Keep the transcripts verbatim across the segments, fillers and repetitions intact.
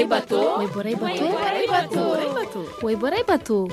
Wayborey bato. Wayborey bato.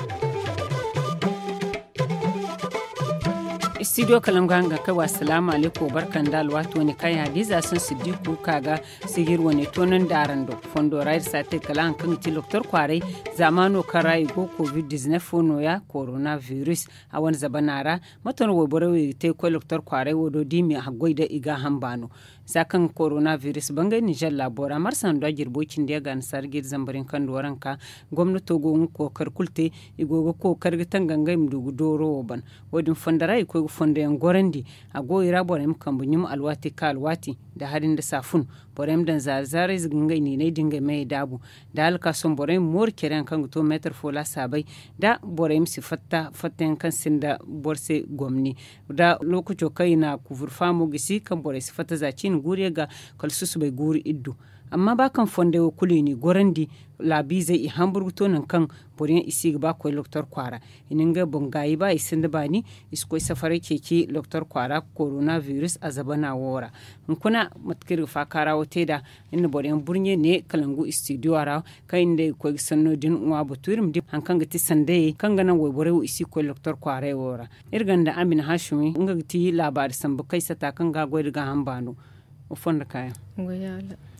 Istidiyo kalangu hangan kay wa asalaamu aleykum wa barka nda alwaati wane kaŋ ya di za sohõ siddiku ka ga sihir wane toonandi araŋ do. Fondo ra iri si a te kala hari kaŋ ga ti doktor kwaaray zaamaano kaŋ ra i go covid dizinef fo nooya korona biris a wane zabana ra. Mate no wayborey wo i ga te ga koy doktor kwaaray wo do da i ma haggoy da i gaaham baano. Za kaŋ korona biris bangay ninzeer laabo ra marsa nda jirbo cindi yaŋ ga annasaara ga iri zambar yaŋ kaŋ duwaraŋ ka gomnato go ga kookari kulu te. I go ga kookari ga tangangay ma du ga dooro wo ban. Wo- din fondo ra i ga koy ga fondo yaŋ gorandi. A go i ra borey ma kambe ɲum alwaati ka alwaati nda hari nda saafun. Borey ma daŋ zaari zaarayze ga ngey niinay da ngey meyey daabu. Nda hala ka sohõ borey ma mooru care yaŋ kaŋ ga to meetar fo laasaabay. Nda borey ma si fatta fatta yaŋ kaŋ sinda boro se gomni. Nda lookaco kaŋ i na kuvur faamo gisi kaŋ borey si fatta za ciine guuru yaŋ ga kala susubay guuru iddu. Amma ba kaŋ fondey wo kulu i n'i gorandi laabiizey i hambur ga to nangu kaŋ boro yaŋ i si ga ba ga koy doktor kwaara. I na ngey boŋ gaayi ba i sinda baani. I si koy safaray ceeci doktor kwaara korona biris a zabana wo ra. Hunkuna mate kaŋ iri ga faakaara wo te nd'a iri na boro yaŋ burɲe ne kala ngu istidiyo ra kaŋ iri nda i ga koy ga sanno din ŋwa batu iri ma di hari kaŋ ga ti sandayey kaŋ ga naŋ wayborey wo i si ga koy doktor kwaaray wo ra. Iri gonda amina haasumi nga ga ti laabaari sambu kaŋ ay sata kaŋ ga a goy nda gaaham baano. Wa fondo kaayaŋ.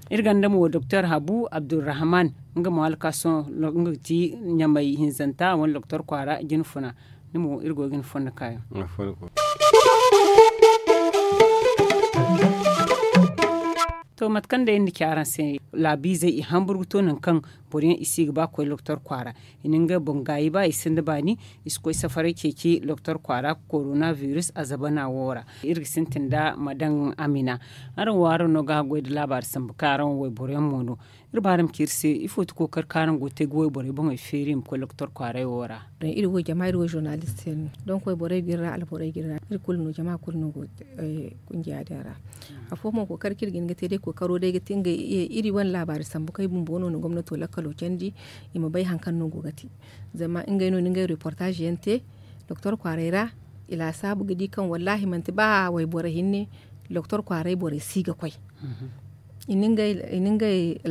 Iri gonda mo doktor habu abdurrahman, nga mo hala ka sohõ nga ga ti ɲamay hinzanta a wane doktor kwaara jine funa. Ni mo iri go ga ni fondo kaayaŋ. To mate kaŋ day iri na ci araŋ se, laabiizey i hambur ga to nangu kaŋ boro yaŋ i si ga ba ga koy doktor kwaara. I na ngey boŋ gaayi ba i sinda baani. I si koy safaray ceeci doktor kwaara korona biris a zabana wo ra. Iri ga sintin nda ma daŋ amina. Araŋ wo araŋ no ga haggoy nda laabaari sambu kaŋ araŋ wo wayboro yaŋ mo no. Iri ba araŋ ma ci iri se ifo ti kookari kaŋ araŋ go ga te ga wayborey boŋey feeri i ma koy doktor kwaaray wo ra? Iri wo jama iri wo zurnalist yaŋ no. Donk wayborey ga iri ra alborey ga iri ra iri kulu no jama kulu no go ga kungiya din ra. Afo mo kookari kaŋ iri ga hin ga te day kookaro day ga ti ngey iri wane laabaari sambu kaŋ i bumbo no na gomnato lakkalo candi. I ma bay hari kaŋ no go ga te. Zama ngey no na ngey reportaaze yaŋ te doktor kwaaray ra. I laasaabu ga di kaŋ wallaahi manti ba wayboro hinne doktor kwaaray borey si ga koy. I na ngey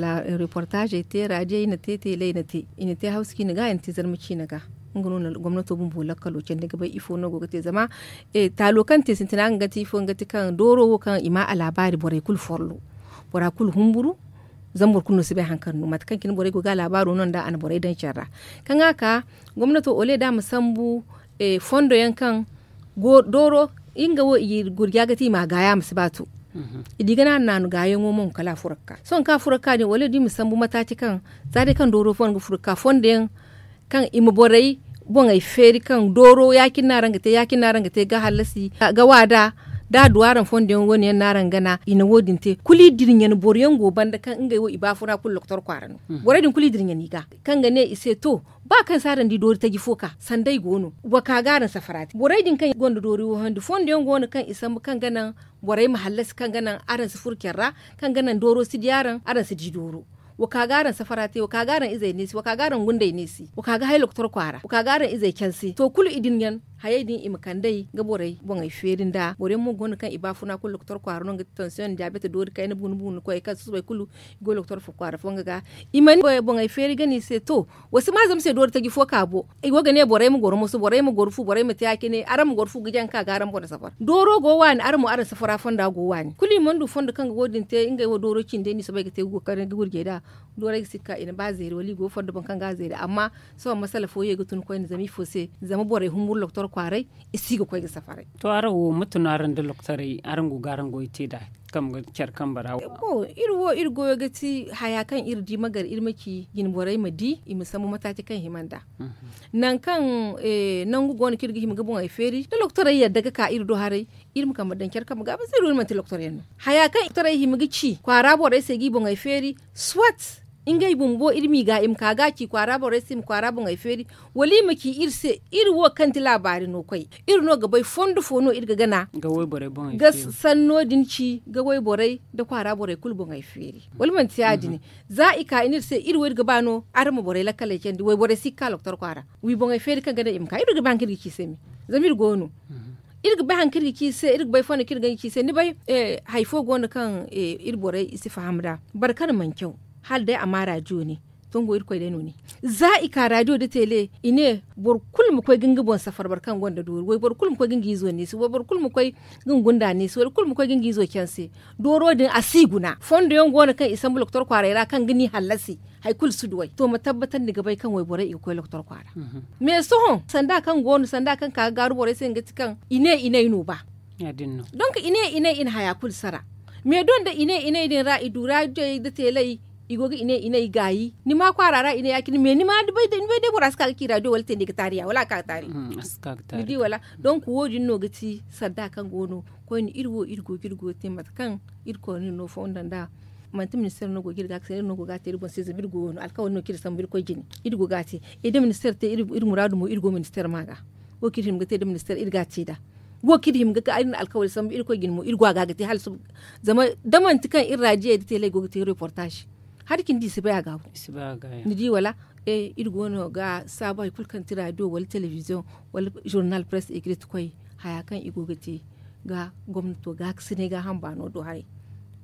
reportaazey te raadiyey na te teeley na te i na te hawsa ciine ga i na te zarma ciine ga. Nga no na gomnato bumbo lakkalo candi ga bay ifo no go ga te zama taalo kaŋ te sintina nga ga ti ifo nga ga ti kaŋ dooro wo kaŋ i ma a laabaari borey kulu follo. Bora kulu humburu. Zama boro kulu no si bay hari kaŋ no mate kaŋ cine borey go ga a laabaaro no nd'a a na borey daŋ care ra. Kaŋ a ka gomnato ole da a ma sambu fondo yaŋ kaŋ dooro nga wo i gurja ga ti i ma a gaaya a ma si ba to. I di ga naanu naanu gaayaŋo mo kala a furo ga ka sohõ kaŋ a furo ga ka din wala da i ma sambu mataaci kaŋ za day kaŋ dooro fo no ga furo ga ka fondo yaŋ kaŋ i ma borey boŋey feeri kaŋ dooro ya- cine no araŋ ga te ya- cine no araŋ ga te ga hallasi ga waada da a du araŋ fondo yaŋ wane yaŋ no araŋ gana i na wo- din te kulu i dirɲan boro yaŋ go banda kaŋ ngey wo i baafuna kulu doktor kwaara no. Borey din kulu i dirɲan i ga kaŋ ga ne i se to ba kaŋ se araŋ di doori taji fo ka sanday go no wa ka ga araŋ safara te borey din kaŋ gonda doori wo handi fondo yaŋ go no kaŋ i sambu kaŋ ga naŋ borey ma hallasi kaŋ ga naŋ araŋ si furo care ra kaŋ ga naŋ dooro si di araŋ araŋ si di dooro. Wa ka ga araŋ safara te wa ka ga araŋ izey neesi wa ka ga araŋ gundey neesi wa ka ga hay doktor kwaara wa ka ga araŋ izey canse to kulu i din yaŋ hayey din i ma kand'ey ga borey boŋey feeri nda boro yaŋ mo go no kaŋ i baafuna kulu doktor kwaara no nga ti tansiyoŋ diyaabet doori kayna buunu buunu koyey kaŋ susubay kulu i go doktor kwaara fo nga ga. I mana boŋey feeri gana i se to wa si ma zama se doori taji fo ka bo i go ga ne borey ma goro moso borey ma goro fu borey ma te ya- cine araŋ ma goro fu ga jaŋ ga ka ga araŋ boŋ safar dooro go waani araŋ mo araŋ safara fonda go waani kulu i mana du fondo kaŋ ga wo- din te ngey wo dooro cindey no i soobay ga te ga gurjey nd'a. Doorey ga si ga ka i na ba zeeri wala i go fondo boŋ kaŋ ga a zeeri amma sohõ masala fo ye ga tun koyne zama ifo se zama borey humburu doktor kwaaray i si ga koy ga safaray. To araŋ wo mate no araŋ nda doktorey araŋ go ga araŋ goy te nd'a? Kambe care kambe ra wo iri wo iri goyo ga ti haya kaŋ iri di ma gar iri ma ci jine borey ma di i ma sambu mataaci kaŋ hima nd'a. Nangu kaŋ nangu go no kaŋ iri ga hima ga boŋey feeri da doktorey yadda ga ka iri do haray iri ma kambe daŋ care kambe ga ba se iri wo iri manti doktorey no. Haya kaŋ doktorey hima ga ci kwaara borey se g'i boŋey feeri soit ngey bumbo iri m'i ga i ma ka ga a ci kwaara borey se i ma kwaara boŋey feeri wala i ma ci iri se iri wo kaŋ ti laabaari no koy iri no ga bay fondo fo no iri ga gana ga sanno din ci ga wayborey nda kwaara borey kulu boŋey feeri wala manti ya- din za i ka i ne iri se iri wo iri ga ba no araŋ ma borey lakkaley candi wayborey si ga ka doktor kwaara wi boŋey feeri kaŋ gana i ma ka iri ga bay hari kaŋ iri ga ci i se me zama iri go no iri ga bay hari kaŋ iri ga ci i se iri ga bay fondo kaŋ iri ga ci i se ni bay hari fo go no kaŋ iri borey i si faham nd'a boro kaŋ mana caw Hala day a ma raadiyo ne. Tongo irkoy day no ne. Za i ka raadiyo da tele i ne boro kulu ma koy ga nga boŋ safar boro kaŋ gonda doori wayboro kulu ma koy ga nga izo neesi wayboro kulu ma koy ga nga gunda neesi wayboro kulu ma koy ga nga izo canse. Dooro din a si guna fondo yaŋ go no kaŋ i sambu loktor kwaaray ra kaŋ ga ni hallasi. Hari kulu si duw'ey to ma tabbatandi ga bay kaŋ wayborey i ga koy loktor kwaara. Mais sohõ sanda kaŋ go no sanda kaŋ ka ga gaaru borey se nga ti kaŋ i ne i ne ay no ba. Donk i ne i ne i na haya kulu sara. Mais doŋ da i ne i ne ay din ra i du raadiyey da teelay i go ga i ne i ne ay gaayi ni ma kwaara ra i ne ya- cine mais ni ma bay day bora si ka ga ci raadiyo wala te ni ga taari ya wala a ka ga taari. Ni di wala? Donk wo- din no ga ti sanda kaŋ go no koyne iri wo iri go ga iri goyo te mate kaŋ iri koyne no fondo nd'a. Manti ministeer no go ga iri ga a ga sanda iri no go ga a te iri boŋ se zama iri goyo no alkawali no kaŋ iri sambu iri koy jine. Iri go ga a te. Iri da ministeer te iri muraadu mo iri go ministeer ma ga. Wo kaŋ iri hima ga te da ministeer iri ga a te nd'a. Wo kaŋ iri hima ga ka iri na alkawali sambu iri koy jine mo iri go a ga ga te hala suba. Zama da manti kaŋ iri raadiyey da teelay go ga te reportaaz. Hari cindi i si bay a ga. Ni di wala? Iri go no ga saabu hari kulu kaŋ ti raadiyo wala telebiziyoŋ wala zurnal press ekrit koy haya kaŋ i go ga te ga gomnato gaakasinay gaaham baano do haray.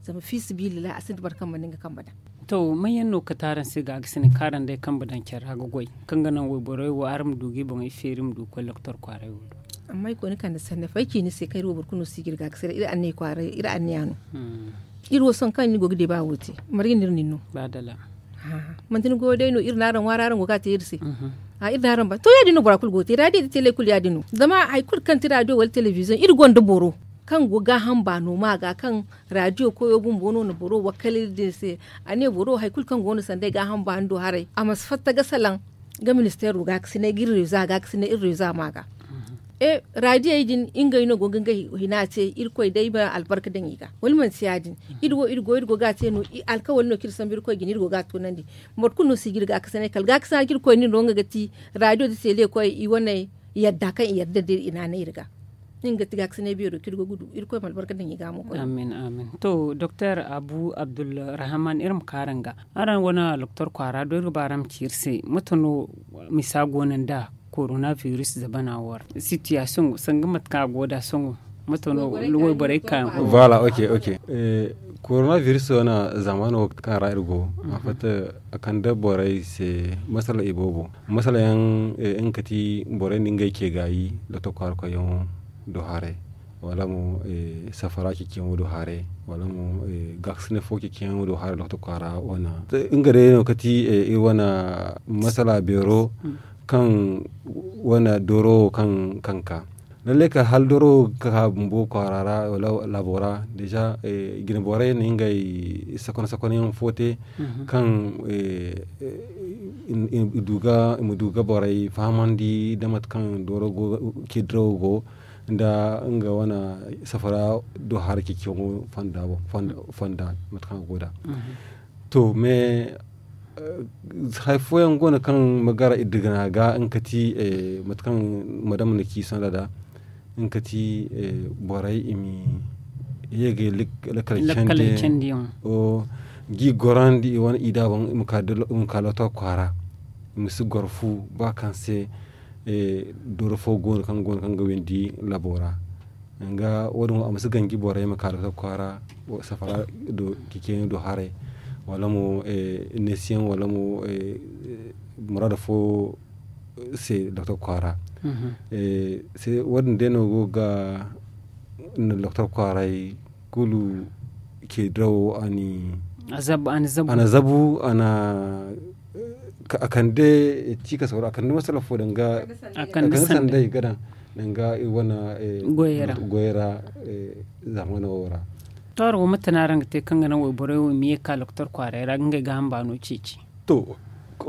Zama fiisabilillahi a sinda boro kaŋ mana nga kambe daŋ. To manyaŋ no kate araŋ se gaakasinay kaŋ araŋ day kambe daŋ care ra ga goy kaŋ ga naŋ wayborey wo araŋ ma du ga i boŋey feeri ma du ga koy loktor kwaaray wo do? Amma ay koy ni kande sanni fo ay ci ni se kaŋ iri wo boro kulu no si ga iri gaakasinay iri anniya no. Iri wo sohõ kaŋ ni go ga deeba wo te marga no iri na ni no? Manti ni goyo day no iri na araŋ ŋwaari araŋ go ga a te iri se. Iri na araŋ ba to ya- din no bora kulu go ga te raadiyo da teelay kulu ya- din no zama hari kulu kaŋ ti raadiyo wala telebiziyoŋ iri gonda boro kaŋ go gaaham baano ma ga kaŋ raadiyo koyo bumbo no na boro wakkal iri din se. A ne boro hari kulu kaŋ go no sanda ay gaaham baano do haray a ma si fatta ga salaŋ ga ministeero gaakasinay ga iri reeza gaakasinay iri reeza ma ga. Raadiyey din ngey no go ga ngey hina te irkoy day ma albarka daŋ i ga wala manti ya- din? Iri wo iri go iri go ga a te no alkawali no kaŋ iri sambu irkoy jine iri go ga a toonandi. Boro kulu no si ga iri gaakasinay kala gaakasinay kaŋ iri koy no nga ga ti raadiyo da teele koy i wane yadda kaŋ i yadda nda iri i naanay iri ga. Nga ga ti gaakasinay beero kaŋ iri go ga du irkoy ma albarka daŋ i ga mo koy. Amin amin. To doktor abu abdulrahaman iri ma ka araŋ ga araŋ wane loktor kwaara do iri ga ba araŋ ma ci iri se mate no misa go no nda korona biris zabana wo ra sitiyaasiyoŋ sanga mate kaŋ a go nd'a sohõ? Mate no wayborey ka yaŋ go? Voilà ok ok. Korona biris wane zaamaano kaŋ ra iri go a fatta a kande borey se masala iboobo masala yaŋ nga ga ti borey nda ngey ce gaayi doktor kwaara koyyaŋo do haray wala mo safara ceeciyaŋo do haray wala mo gaakasinay fo ceeciyaŋo do haray doktor kwaara wane. Nga day no ga ti iri wane masala beero kaŋ wane dooro wo kaŋ ka lallai kala hala dooro wo ga ka bumbo kwaara ra wala laabo ra deeza jine borey na ngey sakon sakon yaŋ fo te kaŋ i ma du ga borey fahamandi nda mate kaŋ dooro go ga ce dirawo go nda nga wane safara do hara ceeciyaŋo fonda mate kaŋ a go nd'a. To mais hari fooyaŋ go no kaŋ ma gara iddigana ga nga ga ti mate kaŋ madama na ci sanda nd'a nga ga ti borey i ma ye ga ye lakkal candi yaŋo ga i gorandi i wane i da boŋ i ma ka loto kwaara i ma si goro fu ba kaŋ se dooro fo go no kaŋ go no kaŋ ga windi labo ra. Danga wo- din wo a ma si ganji borey ma ka doktor kwaara safara do ceeciyaŋo do haray wala mo neesiyaŋ wala mo muraada fo se doktor kwaara. Wo- din day no go ga doktor kwaaray kulu ce dirawo a na zabu a na a kande cikas wala a kande masala fo danga a kande sanday ga daŋ danga iri wane goyey ra zamano wo ra. To araŋ wo mate no araŋ ga te kaŋ ga naŋ wayborey wo i ma ye ga ka loktor kwaaray ra ga ngey gaaham baano ceeci? To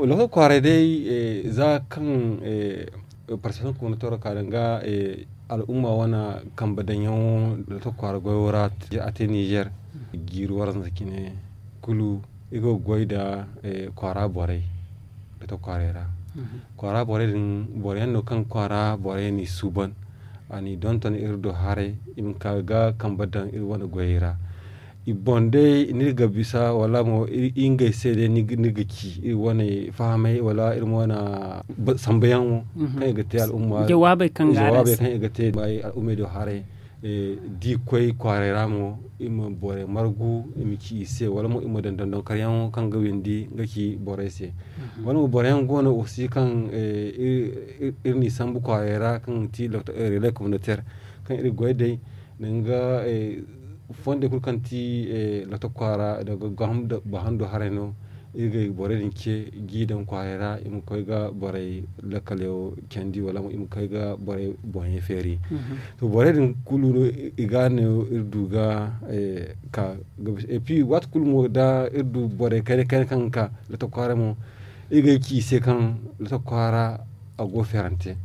loktor kwaaray day za kaŋ parsesaŋ koona toro ka danga al'umma wane kambe daŋyaŋo loktor kwaara goyo ra a te nizer jiiri waranza cine kulu iri go ga goy nda kwaara borey loktor kwaaray ra. Kwaara borey din boro yaŋ no kaŋ kwaara borey n'i suuban a n'i donton iri do haray i ma ka ga kambe daŋ iri wane goyey ra. I boŋ day ni ga bisa wala mo iri ngey se day ni ga ci iri wane fahamay wala iri mo wane sambuyaŋo kaŋ i ga te al'umma jawaabey kaŋ i ga te al'ummey do haray. Da i koy kwaaray ra mo, i ma borey margu, i ma ci i se, wala mo i ma daŋ dondonkaryaŋo kaŋ ga windi nga ci borey se. Wala mo boro yaŋ go no aussi kaŋ iri n'i sambu kwaaray ra kaŋ ga ti relais communautaire, kaŋ iri ga goy day, danga fondey kulu kaŋ ti lotok kwaara, danga bahando haray no. Iri ga borey din ce g'i daŋ kwaaray ra, i ma koy ga borey lakkaleyaŋ candi, wala mo i ma koy ga borey boŋey feeri. To, borey din kulu no i ga no iri du ga ka. Et puis waati kulu mo da iri du borey kayna kayna kaŋ ga ka lotok kwaara mo, iri ga ci i se kaŋ lotok kwaara a go feerante.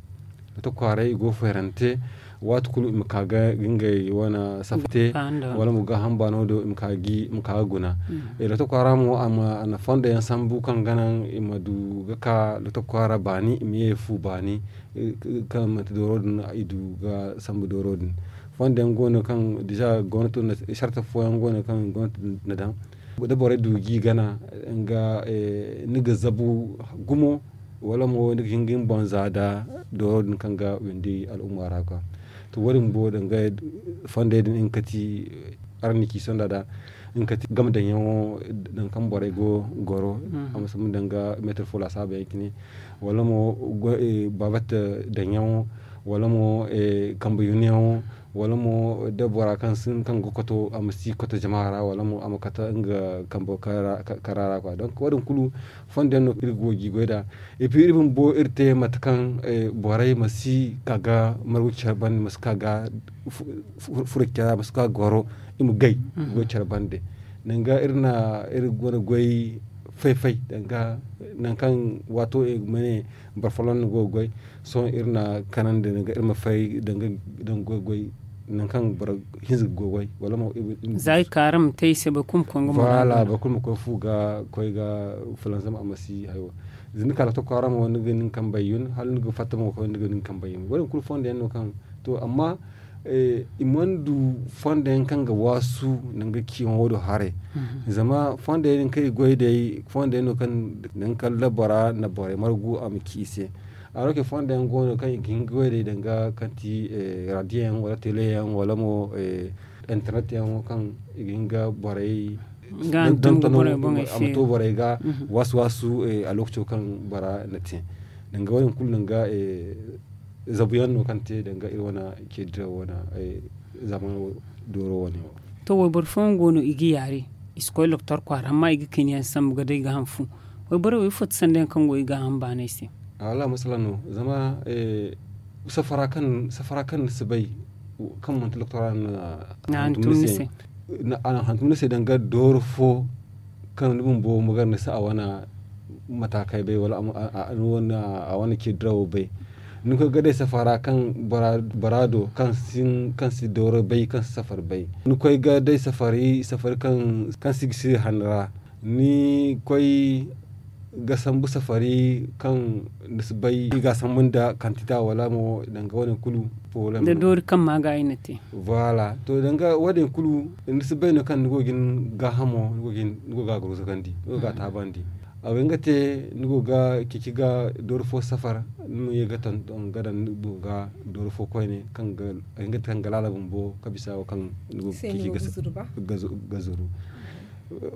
Lotok kwaaray i go feerante. Waati kulu i ma ka ga ngey wane safte, wala mo gaaham baano do i ma ka ga guna. Lotok kwaara mo a na fondo yaŋ sambu kaŋ ga naŋ i ma du ga ka lotok kwaara baani, i ma ye fu baani. Kaŋ manti dooro din i du ga sambu dooro din. Fondo yaŋ go no kaŋ dija gwamnato na sarte fooyaŋ go no kaŋ gwamnato na daŋ da borey du g'i gana nga ni ga zabu gumo, wala mo ni ga hin ga ni boŋ za da dooro din kaŋ ga windi al'umma ra ga. To, wo- din bumbo danga fondey din nga kati araŋ na ci sonda da nga kati game daŋyaŋo, danga kaŋ borey go goro a ma sambu danga meetir fo laasaabu yaŋ cine, wala mo baabata daŋyaŋo, wala mo kambe yunyaŋo, wala mo da bora kaŋ ga koto a ma si koto jama ra, wala mo a ma kate nga kambe kara ra kwa. Donk wo- din kulu fondo yaŋ no iri go ga goy nd'a. Epi iri bumbo iri te mate kaŋ borey ma si ka ga margu care bande, ma si ka ga furo care ra, ma si ka ga goro i ma gay goy care bande. Danga iri na iri wane goy fay fay danga nangu kaŋ waato i ma ne boro folloŋ no go ga goy. Sohõ iri na kanandi danga iri ma fay danga goy goy nangu kaŋ boro hinza ga goy goy wala mo. Za i ka araŋ ma te i se boro kulu ma koy nga mo ra. Boro kulu ma koy fu ga koy ga fulanzam a ma si hayo. Za ni ka lotok kwaara mo ni ga nin kambey yun hala ni ga fatta mo ga koy ni ga nin kambey yun wo- din kulu fondo yaŋ no kaŋ to amma i mana du fondo yaŋ kaŋ ga waasu nanga ciyaŋo do haray. Zama fondo yaŋ kaŋ i goy day fondo yaŋ no kaŋ nangu kala bora na borey margu a ma ci i se. Aro ke fondo yaŋ go no kaŋ i ga hin ga goy day danga kaŋ ti radio yaŋ wala tele yaŋ wala mo internet yaŋo kaŋ i ga hin ga borey ga hantum ga borey boŋey a ma to borey ga waasu waasu a lokaco kaŋ bora na te. Danga wo- din kulu danga zabu yaŋ no kaŋ te danga iri wane ceedira wane zamano dooro wane wo. To wayboro fooyaŋ go no i ga yaari i si koy loktor kwaara amma i ga kayna yaŋ sambu ga day ga hanfu. Wayborey wo ifo ti sanda yaŋ kaŋ go i ga hanfu baanay se? Wallaahi masala no zama safara kaŋ ni si bay kaŋ manti loktor a na hantum ni se. A na hantum ni se danga dooro fo kaŋ ni bumbo ma gar ni se a wane mataakay bay wala a wane ceedirawo bay. Ni koy ga day safara kaŋ bora do kaŋ si dooro bay kaŋ si safari bay ni koy ga day safari kaŋ si ga si hanni ra. Ni koy ga sambu safari kaŋ ni si bay i ga a sambu nda kantita wala mo danga wane kulu. Foolem da doori kaŋ ma ga ay na te. Voilà to danga wo- din kulu ni si bay no kaŋ ni go ga ni gaahamo ni go ga a gurzugandi ni go ga a taabandi. A ga hin ga te ni go ga ceeci ga doori fo safar ni ma ye ga tonton ga daŋ ni go ga doori fo koyne kaŋ ga laala bumbo ka bisa wo kaŋ ni go ga ceeci ga zuru.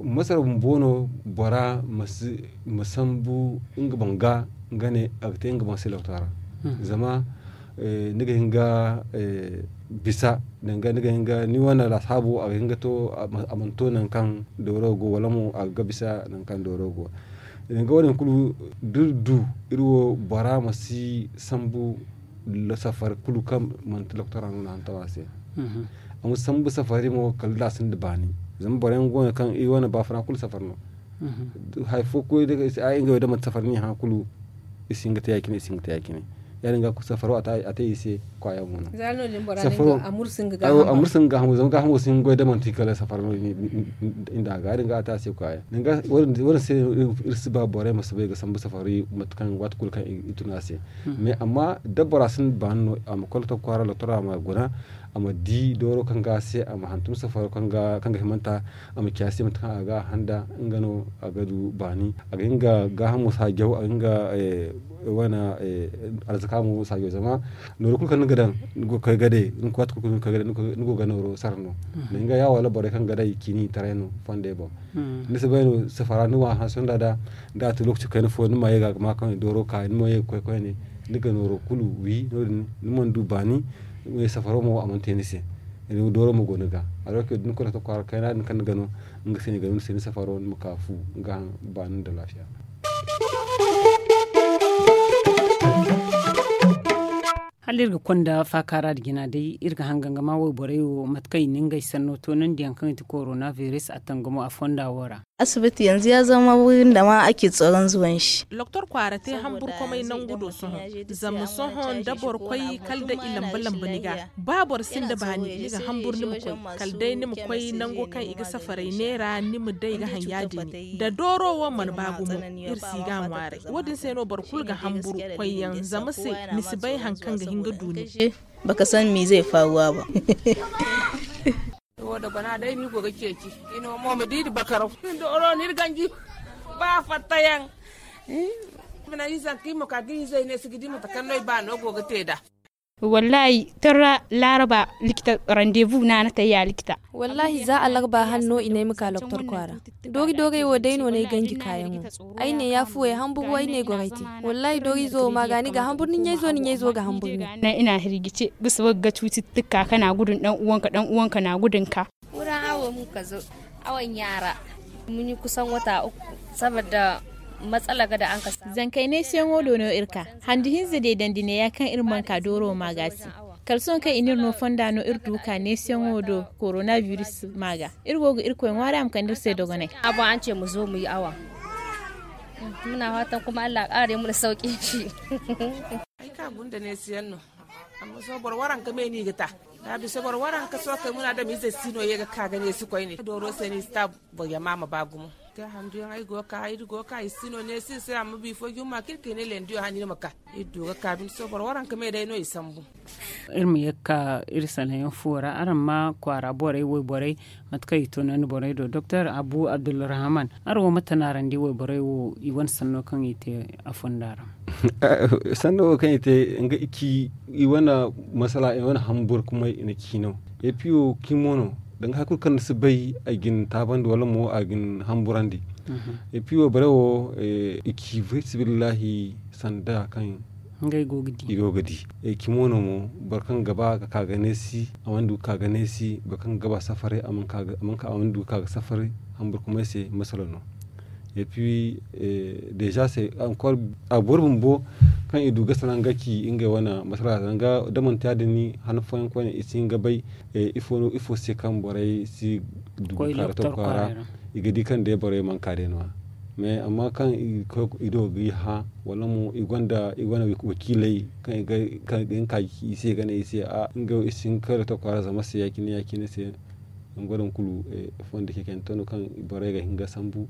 Masara bumbo no bora ma sambu nga boŋ ga nga ne a ga te nga boŋ se loktora. Zama ni ga hin ga bisa danga ni ga hin ga ni wane lasaabo a ga hin ga to a mana to nangu kaŋ dooro go wala mo a ga bisa nangu kaŋ dooro go. Danga wo- din kulu da iri du iri wo bora ma si sambu safari kulu kaŋ manti loktora no na hantum a se. A ma sambu safari mo kala da a sinda baani. Zama boro yaŋ go no kaŋ iri wane baafuna kulu safari no. Hari fo koy day ay ngey wo day manti safari no i hã kulu. I si hin ga te ya- cine i si hin ga te ya- cine. Ya- din ga safaro a te i se kwaaya mo no. Safaro a mursa nga gaahamo zama gaahamo si hin ga goy day manti kala safaro no. Inda a ga ya- din ga a te a se kwaaya. Wo- din se iri si ba borey ma si bay ga sambu safari mate kaŋ waati kulu kaŋ i tun a se. Mais amma da bora sinda baani no a ma koy lotok kwaara lotora a ma guna a ma di dooro kaŋ ga a se a ma hantum safaro kaŋ ga himanta. A ma ci a se mate kaŋ a ga a handa nga no a ga du baani a ga hin ga gaahamo saajaw a ga hin ga wane arzaka mo saajaw zama nooro kulu kaŋ ni ga Daŋ ni go ga koy ga day ni go ga nooro sara no. Ni ga ya wala borey kaŋ ga day ciini taray no fondey boŋ. Ni si bay no safara ni wa hanse nda da. Da a to lokaci kayna fo ni ma ye ga ga ma kaŋ dooro ka ni ma ye ga koy koyne. Ni ga nooro kulu wi no- din ni mana du baani. Safaro mo a mana te ni se. Dooro mo go ni ga. Alor ke da ni koy lokaci kwaara kayna din kaŋ ni ga no, nga se ni ga no ni se ni safaro ni ma ka fu. Nga haŋ baani nda laafiya. Hala iri ga konda faakaara da jina day iri ga hangan ga ma wayborey wo mate kaŋ i na ngey sanno toonandi yaŋ kaŋ i ti korona biris a tangamo a fonda wo ra. Asibiti yanzu ya zama wurin da ma ake tsoron zuwan shi. Doktor kwaara te hamburkomey nangu do sohõ. Zama sohõ da boro koy kala da i lamba lamba ni ga. Ba boro sinda baani ni ga hamburu ni ma koy kala day ni ma koy nango kaŋ i ga safaray neera ni ma day ga haŋ ya- din. Da dooro wo mana ba gumo iri si ga ŋwaaray. Wo- din se no boro kulu ga hamburu koyyaŋ zama se ni si bay hari kaŋ ga hin ga du ni. Baka san miize faaruwa ba. Wo da gona day ni go ga ceeci. Ino mo ma di da bakaraw. Dooro ni iri ganji. Ba fattayaŋ. Bina izanka i ma ka ga izey ne si ga di mate kaŋ no i ba no go ga te nd'a. Wallahi torra laaraba likita randevu no a na tayya likita. Wallahi za alarba hanno i ne ay ma ka loktor kwaara. Doori doorey wo day no no ay ganji kaayaŋo. Ay ne ya fuwey hamburu ay ne goray te. Wallahi doori izo wo ma ga ni ga hamburu ni ɲayzo ni ɲayzo ga hamburu ni. Ina hirgice bisa wagga cuti tukka kana gudun dan uwanka dan uwanka na gudun ka. Wurin awo mun ka zo awon yara mun yi kusan wata uku. Saboda matsala ga da an ka samu. Zankay ne siyaŋo do no iri ka handi hinza deedandi ne ya kaŋ iri mana ka dooro ma ga si. Kala sohõ kaŋ i n'iri no fonda no iri du ka neesiyaŋo do koronabiris ma ga. Iri go ga irkoy ŋwaari a ma kande iri se dogonay. A boŋ an ce mu zo mu yi awa. Muna fatan kuma allah a kara day muna sauki shi. Ay ka gunda neesiyaŋ no. Amma sohõ boro waranka me no i ga ta. Da bisa boro waranka sohõ kay muna adamiizey si no ye ga ka ga neesi koyne dooro se no i si ta. Boro yama ma ba gumo. Te handuyaŋ ay go ga ka iri go ga ka i si no neesi iri se amma bifo jumma kulu kaŋ i ne lendiyo hane iri ma ka. Iri du ga ka binde sohõ boro waranka me day no i sambu. Iri ma ye ga ka iri sanayaŋ fuwo ra araŋ ma kwaara borey wayborey mate kaŋ i toonandi borey do doktor abu abdulrahaman araŋ wo mate no araŋ di wayborey wo i wane sanno kaŋ i te a fonda ra. Sanno wo kaŋ i te nga i ci i wane masala i wane hambur kumay i na ci no. Epi wo kimo no danga hari kulu kaŋ ni si bay a ga ni taabandi wala mo a ga ni hamburandi. Epi wo bare wo i ci fisibillahi sanda kaŋ i go ga di. Cimo no mo boro kaŋ ga ba ga ka ga neesi a mana du ga ka ga neesi boro kaŋ ga ba safaray a mana du ga ka ga safaray. Hamburkumay se masala no. Epi deeza se a boro bumbo kaŋ i du ga salaŋ ga ci ngey wane masala zanga da manti ya- din ni han fooyaŋ koyne i si hin ga bay ifo se kaŋ borey si du ga ka ga to kwaara. I ga di kaŋ day borey mana ka day no- ya. Mais amma kaŋ i do ga i hã wala mo i gonda i gonda wakiiley kaŋ i ga hin ka ga ci i se ga ne i se a nga wo i si hin ga kay loto kwaara zama se ya- cine ya- cine se. Nga wo din kulu fondo cecante no kaŋ borey ga hin ga sambu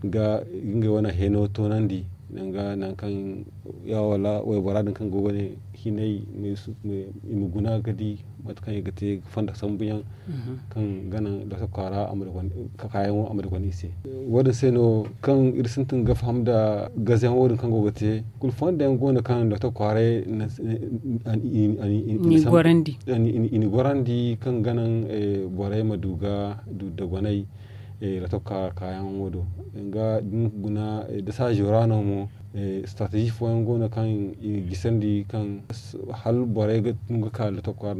ga ngey wane heno toonandi. Danga nangu kaŋ ya wala waybora din kaŋ go ga ne hinay i ma guna ga di mate kaŋ i ga te fondo sambuyaŋ kaŋ ga naŋ loto kwaara kaayaŋo a ma dagwandi i se. Wo- din se no kaŋ iri sintin ga faham nda gazeyaŋ wo- din kaŋ go ga te kulu fondo yaŋ go no kaŋ loto kwaaray i n'i gorandi kaŋ ga naŋ borey ma du ga du dagwanay. Loto kaayaŋo do danga da ni guna da saajo ra no mo. Strateji fooyaŋ go no kaŋ i ga gisandi kaŋ hala borey ga tun ga ka loto kwaara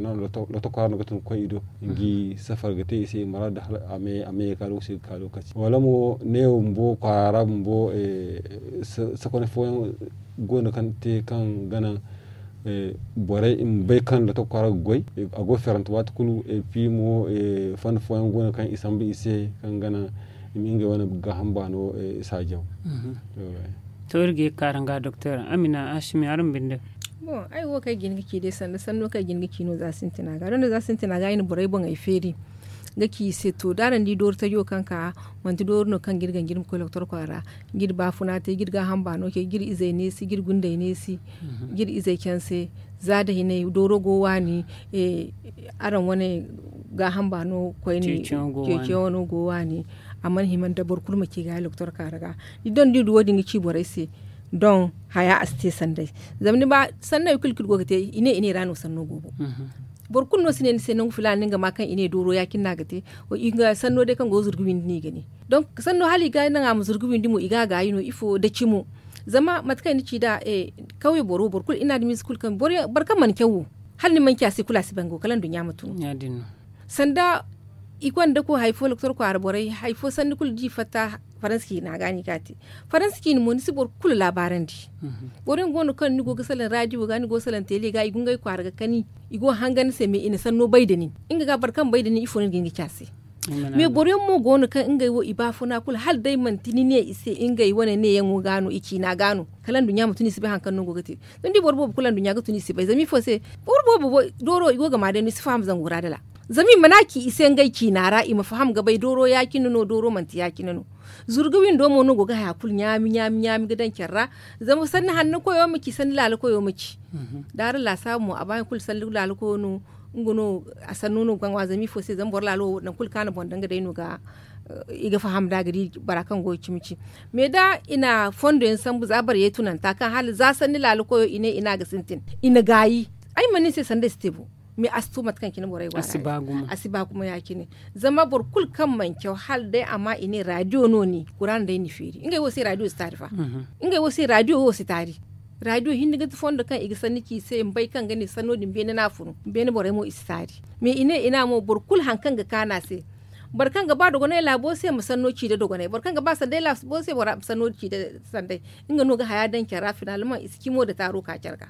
no ga tun ga koy i do. Nga i safar ga te i se i muraadu hala a me ga ka lokaci ga ka lokaci wala mo ne wo bumbo kwaara ra bumbo sakoney fooyaŋ go no kaŋ te kaŋ ga naŋ borey i ma bay kaŋ loto kwaara ga goy. A go ferante waati kulu epi mo fonda fooyaŋ go no kaŋ i sambu i se kaŋ ga naŋ i ma ngey wane gaaham baano saajaw. To iri ga ye ga ka araŋ ga doktor amina asimi araŋ binde. Bon ay wo kaŋ ay ga hin ga ci day sanda sanno kaŋ ay ga hin ga ci no za sintina ga da no za sintina ga ay na borey boŋey feeri ga ci i se to da araŋ di dooru tajo kaŋ ka manti dooru no kaŋ ga iri ganji iri ma koy doktor kwaara ga iri baafuna te ga iri gaaham baano ce ga iri izey neesi ga iri gundey neesi ga iri izey canse. Za da hinay dooro go waani araŋ wane gaaham baano koyne ceeciyaŋo go waani. A mana hima nda boro kulu ma ci ga doktor kwaara ga ni doŋ da iri du wo- din ga ci borey se. Don haya a si te sanday. Zama ni ba sanno hari kulu kaŋ i go ga te i ne i ne i ra no sanno go bo. Boro kulu no si ne ni se nangu filaana no ni ga ma kaŋ i ne dooro ya- cine no a ga te. Sanno day kaŋ go ga zurgu windi no i ga ne. Donk sanno hala i ga naŋ a ma zurgu windi mo i ga a gaayi no ifo da cimo. Zama mate kaŋ i na ci nd'a kawye boro boro kulu i na adamiize kulu kaŋ boro kaŋ mana caw wo, hala ni mana ci a se kulu a si bay nga wo kala nduɲɲa ma tun. Sanda i gonda koy hari fo doktor kwaara borey hari fo sanni kulu da i fatta faransa ciina ga no i ga a te. Faransa ciina mo ni si boro kulu laabaarandi. Boro yaŋ go no kaŋ ni go ga salaŋ raadiyo ga ni go ga salaŋ teele ga i ga ngey kwaara ga kani. I go ga hangan ni se me i na sanno bay nda nin. Nga ga boro kaŋ bay nda nin ifo no ni ga hin ga ci a se? Me boro yaŋ mo go no kaŋ ngey wo i baafuna kulu hala day manti ni ne i se ngey wane neeyaŋo ga no i ciina ga no kala nduɲɲa ma tun i si bay hari kaŋ no ni go ga te. Zama da i boro boobo kulu nduɲɲa ga tun i si bay zama ifo se? Boro boobo dooro i go ga ma day no i si faham zangu ra dala. Zama i mana ci i se ngey ciina ra i ma faham ga bay dooro ya- cine no dooro manti ya- cine no. Zurga windo mo no go ga haya kulu ɲaami ɲaami ga daŋ care ra. Zama sanni hanno koyo ma ci sanni laala koyo ma ci. Da araŋ laasaabu mo a ba hari kulu sanni laala koyo no. Nga no a sanno no ga ŋwa zama ifo se zama boro laalo wo nangu kulu kaŋ a na boŋ daŋ ga day no ga i ga faham nd'a ga di bora kaŋ go ga cimi ci. Mais da i na fondo yaŋ sambu za boro ye tunanta kaŋ hala za sanni laala koyo i ne i ne a ga sintin i na gaayi. Ay mana ni se sanda ay si te bo. Mais a si to mate kaŋ cine borey go a si ba gumo ya- cine. Zama boro kulu kaŋ mana caw hala day a ma i ne raadiyo no ni kuraana day ni feeri ngey wo se raadiyo si taari fa. Ngey wo se raadiyo wo si taari. Raadiyo hinne ga ti fondo kaŋ i ga sanni ci i se ma bay kaŋ ga ne sanno din beene no a funu beene borey mo i si taari. Mais i ne i ne a mo boro kulu hari kaŋ ga kaanu a se. Boro kaŋ ga ba dogonay laabo se ma sanno ci nda dogonay boro kaŋ ga ba sanday laabo se ma sanno ci nda sanday. Nga no ga haya daŋ care ra finalmaŋ i si cimo nda taaro ka care ga.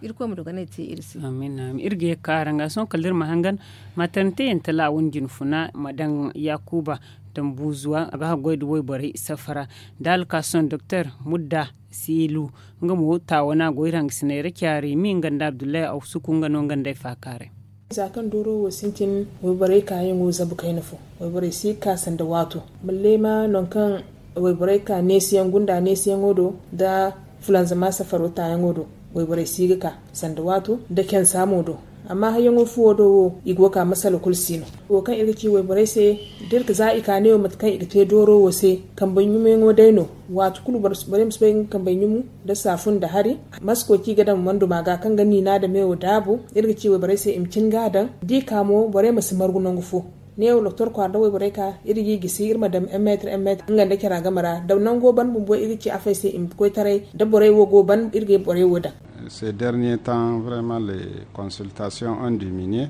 Irkoy ma dogonay te iri se. Iri ga ye ga ka araŋ ga sohõ kala da iri ma hangan. Maternité yaŋ tala a wane jinfuna ma daŋ yaakuba dambuuzuwa a ga haggoy nda wayborey safara. Nda alkaason doktor mudda seelu. Nga mo taawana go iri hangasiney ra caari mi nga nda abdullahi awsuku nga no nga nda ay faakaaray. Za kaŋ dooro wo sintin wayborey kaayaŋo zabu kayna fo. Wayborey si ga ka sanda waato. Malleema nangu kaŋ wayborey ka neesiyaŋ gunda neesiyaŋo do nda fulanzama safaro taayaŋo do. Wayborey si ga ka sanda waato nda cansa mo do. Amma hayyaŋo fuwo do wo i go ga ka masala kulu si no. Wo kaŋ iri ga ci wayborey se da iri ga za i ka ne wo mate kaŋ i ga te dooro wo se. Kambey ɲumeyaŋo day no. Waati kulu borey ma si bay ga kambey ɲumu nda saafun nda hari. Masko ci ga daŋ manduma ga kaŋ ga niina nda meewo daabu. Iri ga ci wayborey se i ma cin ga a daŋ da i ka mo borey ma si margu nangu fo. Neewo doktor kwaara nda wayborey ka iri ga i gisi iri ma daŋ en meetir en meetir nga nda cara game ra da nango ban bumbo iri ga ci afey se i ma koy taray. Da borey wo go ban iri ga borey wo daŋ. Ces derniers temps vraiment les consultations ont diminué.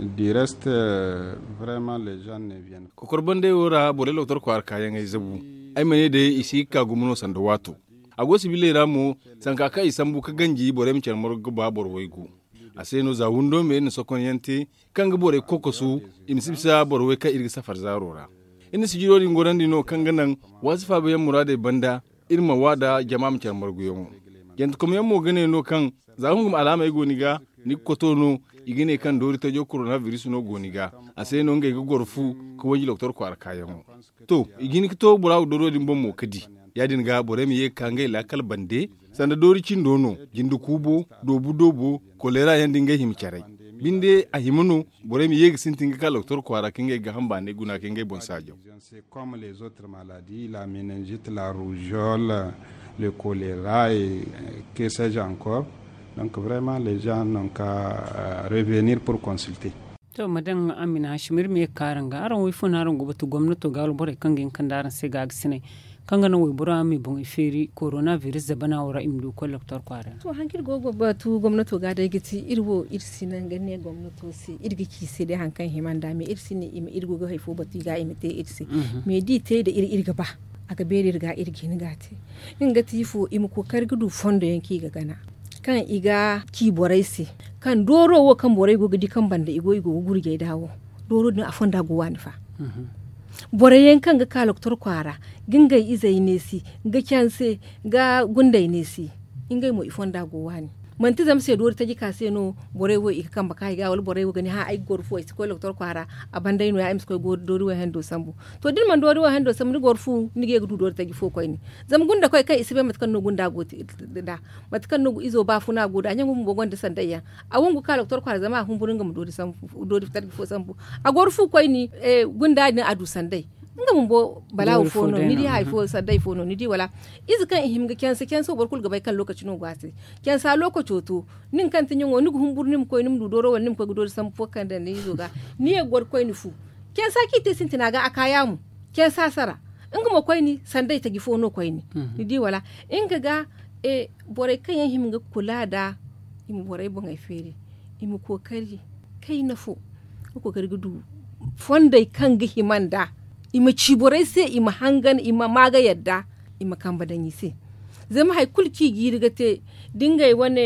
Du reste vraiment les gens ne viennent. Kokor bandey wo ra borey doktor kwaara kaayaŋey zabu. Ay ma ne day i si ga ka gumo no sanda waato. A go sibiley ra mo sanka kaŋ i sambu ga ganji borey ma care margu ga ba boro waygu. A se no za windo me iri na sokonyaŋ te kaŋ ga borey kokosu i ma si bisa boro way kaŋ iri ga safar zaaro ra. Iri na sijiro din gorandi no kaŋ ga naŋ waasi faabayaŋ muraadey banda iri ma wa nda jama ma care marguyaŋo. Jantekomyaŋ mo ga ne no kaŋ za hungu ma alaamey go ni ga ni ga koto no i ga ne kaŋ doori tajo korona biris no go ni ga. A se no ngey ga goro fu ga wanji doktor kwaara kaayaŋo. To i ga hin ga to bora wo dooro din boŋ mo ga di. Ya- din ga borey ma ye ga ka ngey laakal bande sanda doori cindo no jinde kuubo doobu doobo koleera yaŋ da ngey hima caray. Binde a hima no borey ma ye ga sintin ga ka doktor kwaara ka ngey gaaham baanay guna ka ngey boŋ saajaw. C'est comme les autres maladies la meningite la rougeole, le choléra et que sais je encore. Donc vraiment les gens n'ont qu'à revenir pour consulter. To ma daŋ amina hashim iri ma ye ga ka araŋ ga araŋ wo ifo no araŋ go ga batu gomnato ga wala borey kaŋ ga hin ga kande araŋ se gaabisiney kaŋ ga naŋ waybora ma i boŋey feeri korona biris zabana wo ra i ma du ga koy doktor kwaara ra. To hari kaŋ iri go ga batu gomnato ga day ga ti iri wo iri si naŋ ga ne gomnato se iri ga ci i se day hari kaŋ hima nd'a me iri si ne i ma iri go ga hari fo batu i ga i ma te iri se. Me da i te nda iri iri ga ba a ga beeri iri ga iri ga hin ga a te. Nga ga ti ifo i ma kookari ga du fondo yaŋ kaŋ i ga gana kaŋ i ga ci borey se kaŋ dooro wo kaŋ borey go ga di kaŋ banda i go i go ga gurjey nd'a wo. Dooro din a fonda go waani fa. Borey yaŋ kaŋ ga ka doktor kwaara ga ngey izey neesi ga canse ga gundey neesi. Ngey mo i fonda go waani manti zama se doori taji ka se no borey wo i ga kambe ka i ga wala borey wo ga ne hã ay ga goro fu ay si koy doktor kwaara. A banday no- ya ay ma si koy doori wo hando sambu. To da ni mana doori wo hando sambu ni goro fu ni ga ye ga du doori taji fo koyne. Zama gunda koy kaŋ i si bay mate kaŋ no gunda go te nd'a mate kaŋ no izo baafuna go nd'a ɲaŋo bumbo gonda sanday yaŋ. A wangu ga ka doktor kwaara zama a humburu nga ma doori tarji fo sambu. A goro fu koyne gunda din a du sanday. Nga bumbo balaawo fo no ni di hari fo sanday fo no ni di wala? Ize kaŋ i hima ga canse canse wo boro kulu ga bay kaŋ lookaci no go a se. Cansa lookaco to, nin kaŋ ti ɲaŋo ni ga humburu ni ma koy ni ma du dooro wala ni ma koy ga doori sambu fo kaŋ daŋ ni izo ga. Ni ye ga goro koyne fu. Cansa kaŋ i te sintina ga a ka yaamu. Cansa sara. Nga mo koyne sanday taji fo no koyne. Ni di wala? Nga ga borey kaŋ yaŋ hima ga kula nd'a, i ma borey boŋey feeri, i ma kookari kayna fo, ga kookari ga du fondey kaŋ ga hima nd'a. I ma ci borey se i ma hangan i ma maa ga yadda, i ma kambe daŋ i se. Zama hari kulu kaŋ i jiiri ga te da ngey wane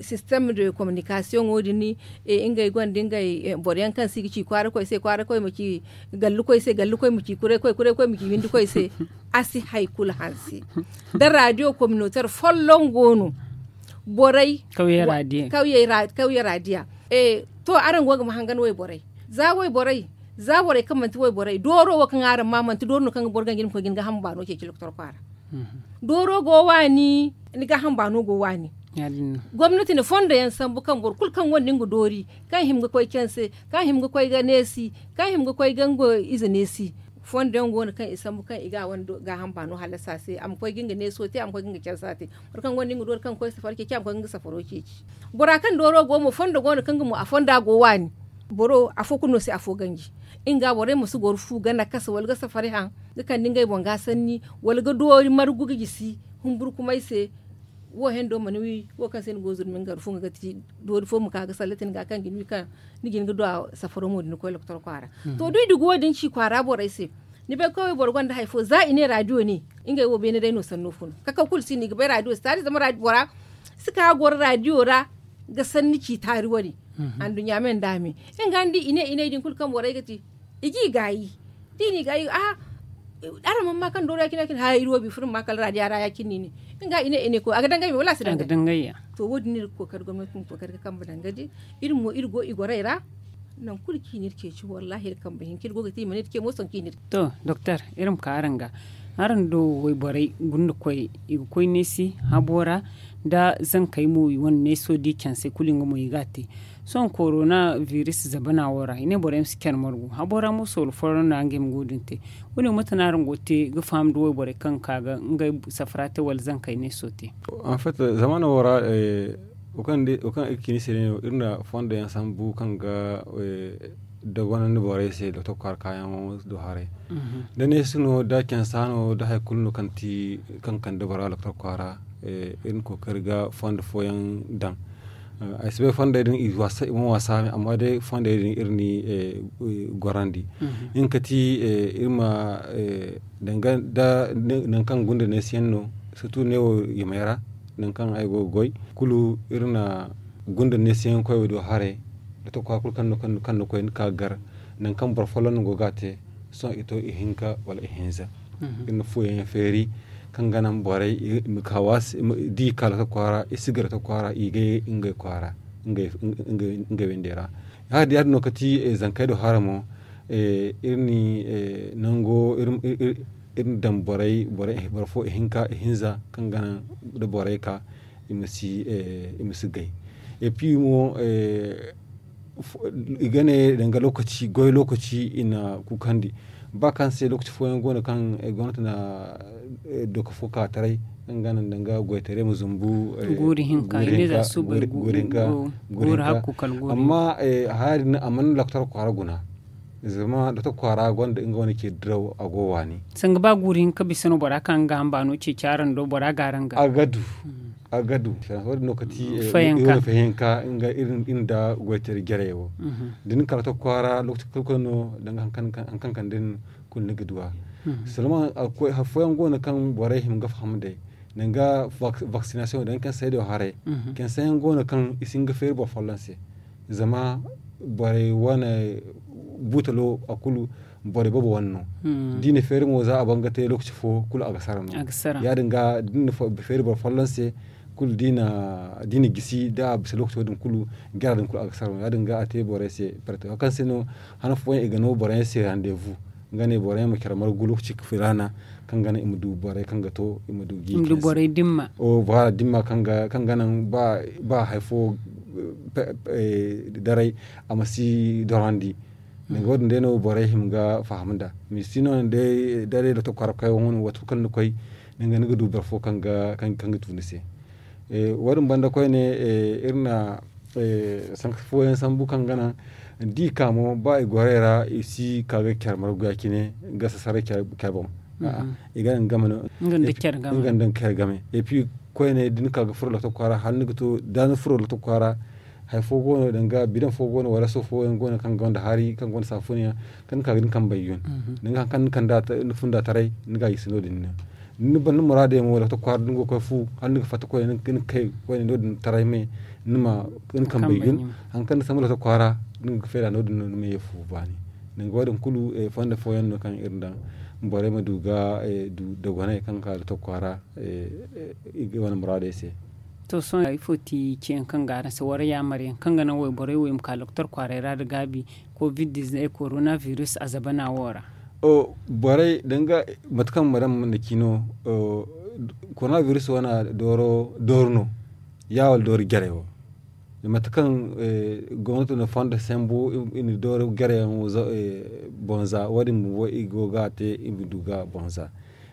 sistem de kominikasiyoŋo din, ngey gonda ngey boro yaŋ kaŋ se i ga ci kwaara koy se kwaara koy ma ci gallu koy se gallu koy ma ci kuray koy kuray koy ma ci windi koy se. A si hari kulu hanse. Da radiyo kominoter folloŋ go no. Borey kawye radiya. To araŋ go ga ma hangan wayborey za wayborey za borey kaŋ manti wayborey dooro wo kaŋ araŋ ma manti dooro no kaŋ ga boro ganji ni ma koy ga ni gaaham baano ceeci lokotor kwaara. Dooro go waani, ni gaaham baano go waani. Gomnati na fondo yaŋ sambu kaŋ boro kulu kaŋ gonda nga doori, kaŋ hima ga koy canse, kaŋ hima ga koy ga neesi, kaŋ hima ga koy ga nga ize neesi. Fondo yaŋ go no kaŋ i sambu kaŋ i ga a wane gaaham baano hallasa se a ma koy ga nga neeso te a ma koy ga nga cansa te. Boro kaŋ gonda nga doori kaŋ ga koy safari ceeci a ma koy ga nga safaro ceeci. Bora kaŋ dooro go mo fondo go no kaŋ nga mo a fonda go waani. Boro afo kulu no se afo ganji. Nga borey ma si goro fu ga nakasa wala ga safari haŋ, ga kande ngey boŋ ga sanni, wala ga doori margu ga gisi humburkumay se. Wo hendo mana wi wo kaŋ se ni go zurmi nga ga ti doori fo ma ka ga sallatin ga kaŋ ga ni wi kaŋ ni ga hin ga du a safaro mo da ni koy lokotor kwaara. To da i dugu wo- din ci kwaara borey se. Ni bay koy wayboro gonda hari fo za i ne radiyo ne. Ngey wo beene day no sanno fun kakaw kulu si no i ga bay radiyo si taari zama bora si ka ga goro radiyo ra. Ga sanni ci taari wane. Anduɲɲa me nda me nga ni di i ne i ne i din kulu kaŋ borey ga te. I ga i gaayi da i na i gaayi a araŋ mana ma kaŋ dooro ya- cine ya- cine haya iri wo biifo iri ma ma kala radiya ra ya- cine no i ne. Nga i ne i ne koy a ga dangay me wala a si dangay? To wo- din no iri ga kookari gomnati ma kookari ga kambe danga di. Iri mo iri go i gorey ra. Nangu kulu kaŋ i na iri ceeci wallaahi iri kambe hinka iri go ga te i mana iri ce mo sohõ kaŋ i na iri. To doktor, iri ma ka araŋ ga. Araŋ do wayborey gunda koy i ga koy neesi habo ra. Nda zankey mo i wane neeso di canse kulu nga mo i ga a te. Sohõ korona biris zabana wo ra i ne borey ma si care margu habo ra mo soolo fooyaŋ no ya nga i ma go din te. Wo- ne mate no araŋ go ga te ga faham nda wayborey kaŋ ga ka ga ngey safara te wala zankey neeso te? Zamaano wo ra wo kaŋ iri ga ci ni se day no iri na fondo yaŋ sambu kaŋ ga dagonandi borey se doktor kwaara kaayaŋo do haray. Da neesi no da cansa no da hari kulu no kaŋ ti kaŋ kande bora doktor kwaara. Iri na kookari ga fondo fooyaŋ daŋ. Ay si bay fondey din i mana wasa me amma day fondey din iri n'i gorandi. Nga ga ti iri ma danga nda nangu kaŋ gunda neesiyaŋ no sirtu neewo yamey ra. Nangu kaŋ ay go ga goy kulu iri na gunda neesiyaŋ koy wo do haray. Doktor kwaara kulu kaŋ no kaŋ ni koy ni ka ga gar nangu kaŋ boro folloŋ no go ga a te. Sohõ i to ihinka wala ihinza. Iri na fuwo yaŋ feeri kaŋ ga naŋ borey i ma ka waasi da i ka lokotor kwaara i si gar lokotor kwaara i ga ye ngey kwaara. Ngey windey ra ya- din no ga ti zankey do hara mo. Iri na nango iri na daŋ borey boro fo ihinka ihinza kaŋ ga naŋ da borey ka i ma si gay. Et puis mo i ga ne danga lokaci goy lokaci i na kuukandi ba kaŋ se lokaci fooyaŋ go no kaŋ gomnati na doka fo ka taray kaŋ ga naŋ danga goytaray ma zumbu. Guuri hinka guuri hinka guuri hinka. Amma haya din a mana lokotor kwaara guna. Zama doktor kwaara gonda nga wane ce diraw a go waani. Sanga ba guuri hinka bisa no bora kaŋ ga hamba no ceeci araŋ do bora ga araŋ ga a ga du. A ga du. Wo- din no kati fayanka nga iri nda goytari jarey wo. Da ni kala doktor kwaara lokaci kulu kulu no danga hari kaŋ kande ni kulu ni ga duw'a. Seulement hari fooyaŋ go no kaŋ borey hima ga faham day danga vaccination danga kaŋ saydo haray. Kaŋ sayaŋ go no kaŋ i si hin ga feeri boro folloŋ se. Zama borey wane buutalo a kulu borey boobo wane no. Da i na feeri mo za a ban ga te lokaci fo kulu a ga sara no. Ya- din ga da ni na feeri boro folloŋ se kulu da i na gisi da a bisa lokaco din kulu jara din kulu a ga sara no ya- din ga a te borey se. Hari kaŋ se no han fooyaŋ i ga no boro yaŋ se rendez-vous nga ne boro yaŋ ma care margu lokaci filaana kaŋ ga naŋ i ma du borey kaŋ ga to i ma du gi i ma du borey dimma. Dimma kaŋ ga naŋ ba hari fo daray a ma si dorandi. Danga wo- din day no borey hima ga faham nd'a. Misi no ni day da day loto kwaara ga koy wane wato kulu kaŋ ni koy, ni ga du boro fo kaŋ ga du ni se. Wo- din banda koyne, iri na sanka fooyaŋ sambu kaŋ ga naŋ da i ka mo ba i gorey ra i si ka ga care margu ya- cine ga sasaray care boŋ. I ga naŋ game no. Nga nda care game. Epi koyne da ni ka ga furo loto kwaara hala ni ga to da ni furo loto kwaara. Hari fo go no danga bidaŋ fo go no wala so fooyaŋ go no kaŋ gonda hari kaŋ gonda saafuniyaŋ, kaŋ ni ka ga ni kambey yun. Danga hari kaŋ ni funda taray ni ga a gisi no- din no. Ni ban ni muraadey mo wala ga to kwaara da ni go ga koy fu hala ni ga fatta koyne ni ga kay koyne no- din taray me. Ni ma ni kambey yun. Hari kaŋ ni sambu loto kwaara ni ga feeda no- din no ni ma ye fu baani. Danga wo- din kulu fondo fooyaŋ no kaŋ iri daŋ borey ma du ga du dogonay kaŋ ga ka loto kwaara i ga wane muraadey se. To sohõ ifo ti ciyaŋ kaŋ ga araŋ se wala yaamar yaŋ kaŋ ga naŋ wayborey wo i ma ka lokotor kwaaray ra nda gaabi covid diznef korona virus a zabana wo ra? Borey danga mate kaŋ madam na ci no. Korona virus wane dooro dooro no ya wala dooro jarey wo? Mate kaŋ gomnato na fondo sambu i na dooro jarey yaŋ boŋ za wo- din bumbo i go ga a te i ma du ga boŋ za.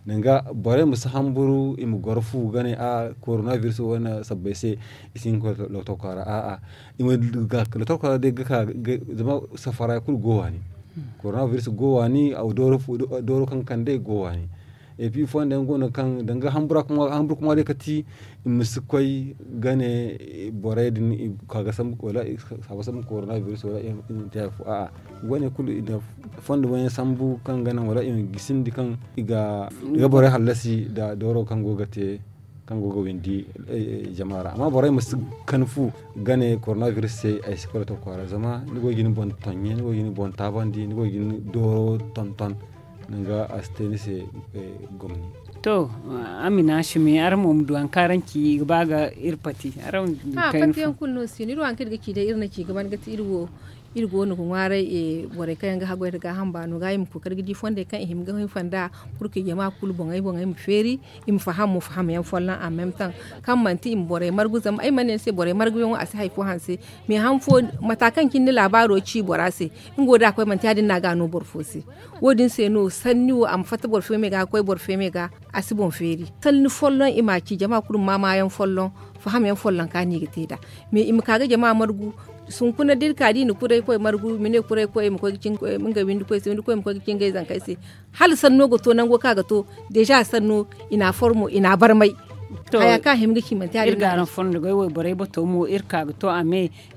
Danga borey ma si hamburu i ma goro fu ga ne a'a korona virus wane sabbay se i si hin ga koy lokotor kwaara a'a. I ma du ga lokotor kwaara day ga ka zama safara kulu go waani. Korona virus go waani dooro kaŋ kande go waani. Epi fonda yaŋ go no kaŋ danga hamburu kuma day kati i ma si koy ga ne borey din i ka ga sambu wala i si a ga sambu korona virus wala i ma te hari fo a'a. Wane kulu i na fondo wane sambu kaŋ ga naŋ wala i ma gisindi kaŋ i ga borey hallasi nda dooro kaŋ go ga te kaŋ go ga windi jama ra amma borey ma si kan fu ga ne korona virus se ay si koy lokotor kwaara zama ni go ga ni boŋ tonye ni go ga ni boŋ taabandi ni go ga ni dooro tonton. Danga a si te ni se gomni. To, amina simi araŋ mo ma du hari kaŋ araŋ ci i ga ba ga iri pati araŋ. Pati yaŋ kulu no si no iri wo hari kaŋ iri ga ci day iri na ci ga ban ga ti iri wo iri go no ga ŋwaaray borey kaŋ yaŋ ga haggoy nda gaaham baano ga i ma kookari ga di fondey kaŋ i hima ga hinfa nd'a. Purke jama kulu boŋey boŋey ma feeri i ma faham mo fahamyaŋ folloŋ a meme taŋ kaŋ manti i ma borey margu zama ay mana ne ni se borey marguyaŋo a si hari fo hanse. Mais han fo mata kaŋ cine ni laabaaro ci bora se nga wo da a koy manti ya- din no a ga a no boro fo se. Wo- din se no sanni wo a ma fatta boro feemey ga ga koy boro feemey ga a si boŋ feeri sanni folloŋ i m'a ci jama kulu ma maayaŋ folloŋ fahamyaŋ folloŋ kaŋ a no i ga te nd'a. Mais i ma ka ga jama margu sunkuna da iri ka da i na kuraykoy margu i ma ne kuraykoy i ma koy ga ci ngey windikoy se windikoy ma koy ga ci ngey zankey se. Hala sanno ga to nango kaŋ a ga to deeza sanno i na a formo i na a barmay. Haya kaŋ a hima ga ci manti ya- din no a ga ci.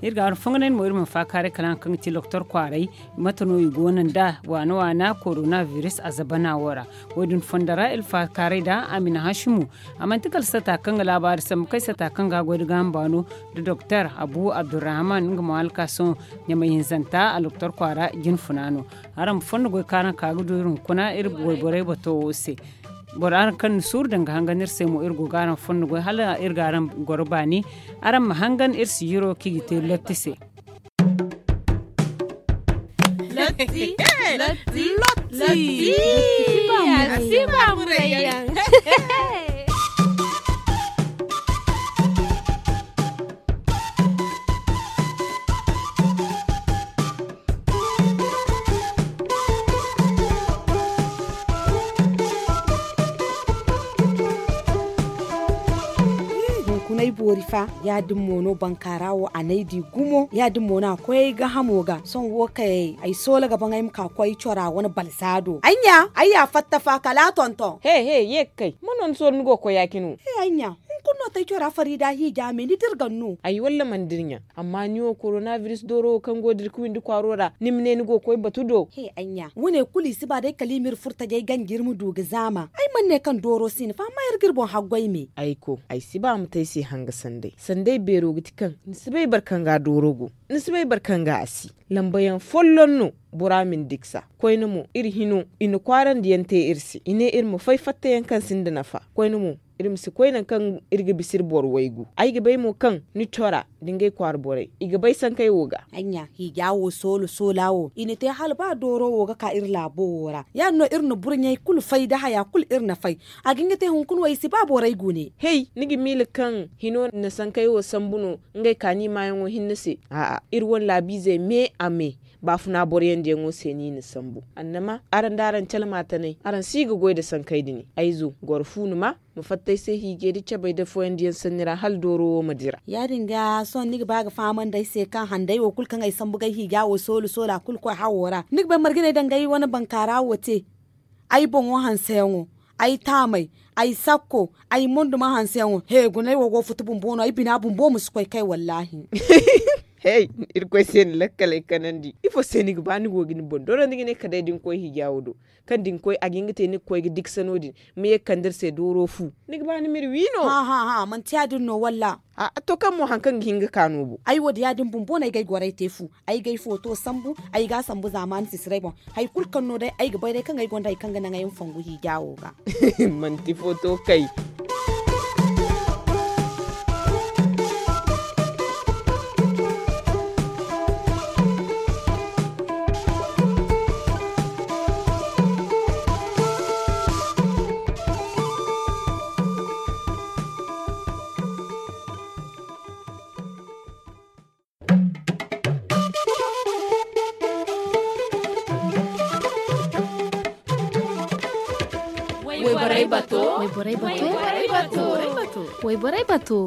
Iri ga araŋ fonganay mo iri ma faakaaray kala hari kaŋ ga ti lokotor kwaaray. Mate no i go no nd'a waana waana korona virus a zabana wo ra. Wo- din fondo ra iri faakaaray nd'a a ma i na hasimu. A manti kala sata kaŋ ga laabaari sambu kay sata kaŋ ga a goy nda gaaham baano nda doktor abu abdurrahman nga mo hala ka sohõ ɲamay hinzanta a lokotor kwaara jinfuna no. Araŋ ma fondo goy kaŋ araŋ ka ga du iri hunkuna iri wayborey bato wo se. Boro araŋ kaŋ na suuru danga hangan iri se mo iri go ga araŋ fondo goy hala iri ga araŋ goro baani. Araŋ ma hangan iri sijiro kaŋ i ga te lotti se. Lotti. Lotti. Lotti. Lotti. Lotti. Lotti. Lotti. Lotti. Lotti. Lotti. Hunkunay boori fa ya- din mo no bankaara wo a n'ay di gumo ya- din mo no a koy ay gahamo ga sohõ wo kay ay soola ga baŋ ay ma ka koy cora wane balsa do ay ɲa ay ya fatta fa kala a tonton he he ye ga kay ma no ni soola ni go ga koy ya- cine wo he ay ɲa hunkuna no tay cora farida hiija me ni dirgan no ay walla mana dirɲa. Amma ni wo korona biris dooro wo kaŋ go da iri ga windi kwaaro ra ni ma ne ni go ga koy batu do he ay ɲa wane kulu i si ba day kala i ma iri furtajey ganji iri ma du ga zaama ay mana ne kaŋ dooro si no fa amma iri ga iri boŋ haggoy me ay ko ay si ba ma te ay se hanga sanday sanday beero ga ti kaŋ ni si bay boro kaŋ ga dooro go ni si bay boro kaŋ ga a si lambayaŋ folloŋ no bora ma ni diksa koyne mo iri hino i na kwaarandi yaŋ te iri se i ne iri ma fay fattayaŋ kaŋ sinda nafa koyne mo Iri ma si koy nangu kaŋ iri ga bisa iri boro waygu. Ay ga bay mo kaŋ ni cora da ngey kwaara borey i ga bay sankey wo ga. Hiija wo soolo soola wo i na te hala ba dooro wo ga ka iri laabo wo ra ya- din no iri na burɲey kulu fay da haya kulu iri na fay. A ga hin ga te hunkuna wo i si ba borey gune. Hey, ni ga miila kaŋ hino na sankey wo sambu no? Ngey kaani maayaŋo hinne se a'a, iri wane laabiizey me a me. Baafuna boro yaŋ diyaŋo se no i na sambu. Annama araŋ da araŋ calma tanay araŋ si ga goy nda sankey din. Ay zo goro fu ni ma, ma fatta ay se hiijay nda cabay nda fooyaŋ diyaŋ sanni ra hala dooro wo ma dira. Ya- din ga sohõ ni ga ba ga fahamandi ay se kaŋ handay wo kulu kaŋ ay sambu ga ay hiija wo soolu soolu a kulu koy hawo ra ni ga bay marga no ay danga ay wane bankaara wo te. Ay boŋo hanseyaŋo, ay taamey, ay sakko, ay monduma hanseyaŋo he guna ay wo go ga futu bumbo no ay bina bumbo ma si koy kay wallaahi. Hey, irkoy se ni lakkaley kanandi ifo se ni ga ba ni go ga ni boŋ dorandi ga ne kala day da ni koy hiija wo do? Kaŋ da ni koy a ga hin ga te ni ga koy ga diksa no- din, ma ye ga kande iri se dooro fu. Ni ga ba ni ma iri wi no? Hã hã hã manti ya- din no walla? A'a to kaŋ mo hari kaŋ ga hin ga ka no bo. Ay wo da ya- din bumbo no ay ga ay goray te fu. Ay ga ay footo sambu, ay ga a sambu zaamaani sisiray boŋ. Hari kulu kaŋ no day ay ga bay day kaŋ ay gonda hari kaŋ ga naŋ ay ma fongu hiija wo ga. Manti footo kay. Wayborey bato. Wayborey bato. Wayborey bato. Wayborey bato.